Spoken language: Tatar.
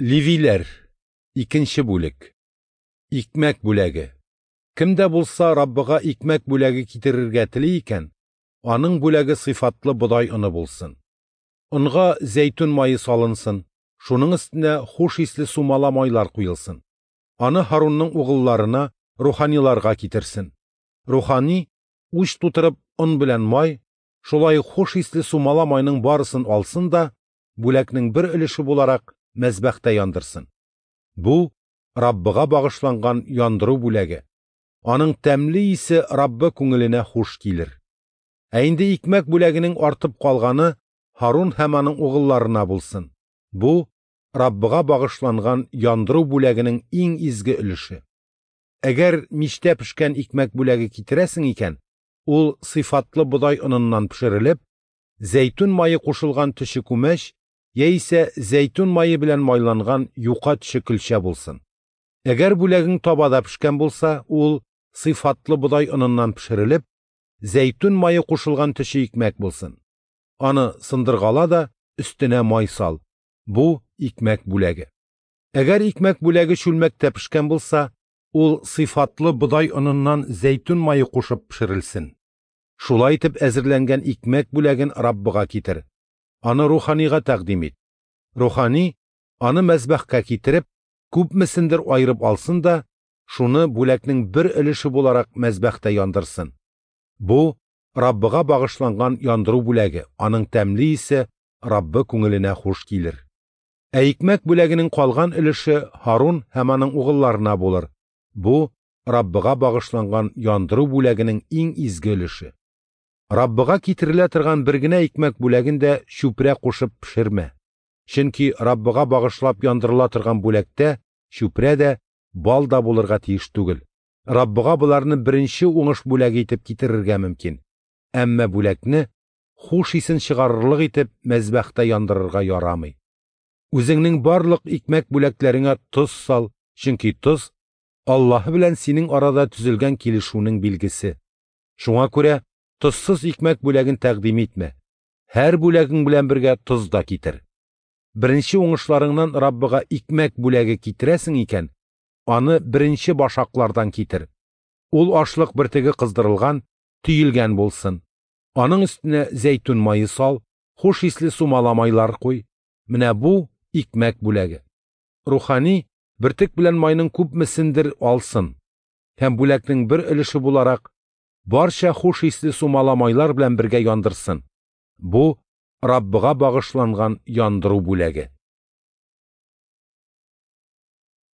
Левиләр. Икенче бүлек. Икмәк бүләге. Кем дә булса Раббыга икмәк бүләге китерергә тели икән, аның бүләге сыйфатлы бодай оны булсын. Онга зәйтүн мае салынсын, шуның өстенә хуш исле сумала майлар куелсын. Аны Һарунның угылларына, руханиларга китерсен. Рухани, уч тутырып, он белән май, шулай ук хуш исле сумала майның барысын алсын да, бүләкнең бер өлеше буларак, мәзбәхтә яндырсын. Бу Раббыга багышланган яндыру бүләге. Аның тәмле исе Раббы күңеленә хуш килер. Ә инде икмәк бүләгенең артып калганы Һарун һәм аның угылларына булсын. Бу Раббыга багышланган яндыру бүләгенең иң изге өлеше. Әгәр мичтә пешкән икмәк бүләге китерәсең икән, ул сыйфатлы бодай оныннан пешерелеп, зәйтүн мае кушылган төче күмәч яисә зәйтүн мае белән майланган юка төче көлчә булсын. Әгәр бүләгең табада пешкән булса, ул сыйфатлы бодай оныннан пешерелеп, зәйтүн мае кушылган төче икмәк булсын. Аны сындыргала да өстенә май сал. Бу икмәк бүләге. Әгәр икмәк бүләге чүлмәктә пешкән булса, ул сыйфатлы бодай оныннан зәйтүн мае кушып пешерелсен. Шулай итеп әзерләнгән икмәк бүләген Раббыга китер. Аны руханига тәкъдим ит. Рухани аны мәзбәхкә китереп, күпмесендер аерып алсын да, шуны бүләкнең бер өлеше буларак мәзбәхтә яндырсын. Бу Раббыга багышланган яндыру бүләге, аның тәмле исе Раббы күңеленә хуш килер. Ә икмәк бүләгенең калган өлеше Һарун һәм аның угылларына булыр. Бу Раббыга багышланган яндыру бүләгенең иң изге өлеше. Раббыга китерелә торган бер генә икмәк бүләген дә чүпрә кушып пешермә. Чөнки Раббыга багышлап яндырыла торган бүләктә чүпрә дә, бал да булырга тиеш түгел. Раббыга боларны беренче уңыш бүләге итеп китерергә мөмкин. Әмма бүләкне хуш исен чыгарырлык итеп мәзбәхтә яндырырга ярамый. Үзеңнең барлык икмәк бүләкләреңә тоз сал, чөнки тоз Аллаһы белән синең арада төзелгән килешүнең билгесе. Шуңа күрә тозсыз икмәк бүләген тәкъдим итмә. Һәр бүләгең белән бергә тоз да китер. Беренче уңышларыңнан Раббыга икмәк бүләге китерәсең икән, аны беренче башаклардан китер. Ул ашлык бөртеге кыздырылган, төелгән булсын. Аның өстенә зәйтүн мае сал, хуш исле сумала майлар куй. Менә бу икмәк бүләге. Рухани бөртек белән майның күпмесендер алсын һәм бүләкнең бер өлеше буларак барча хуш исле сумала майлар белән бергә яндырсын. Бу Раббыга багышланган яндыру бүләге.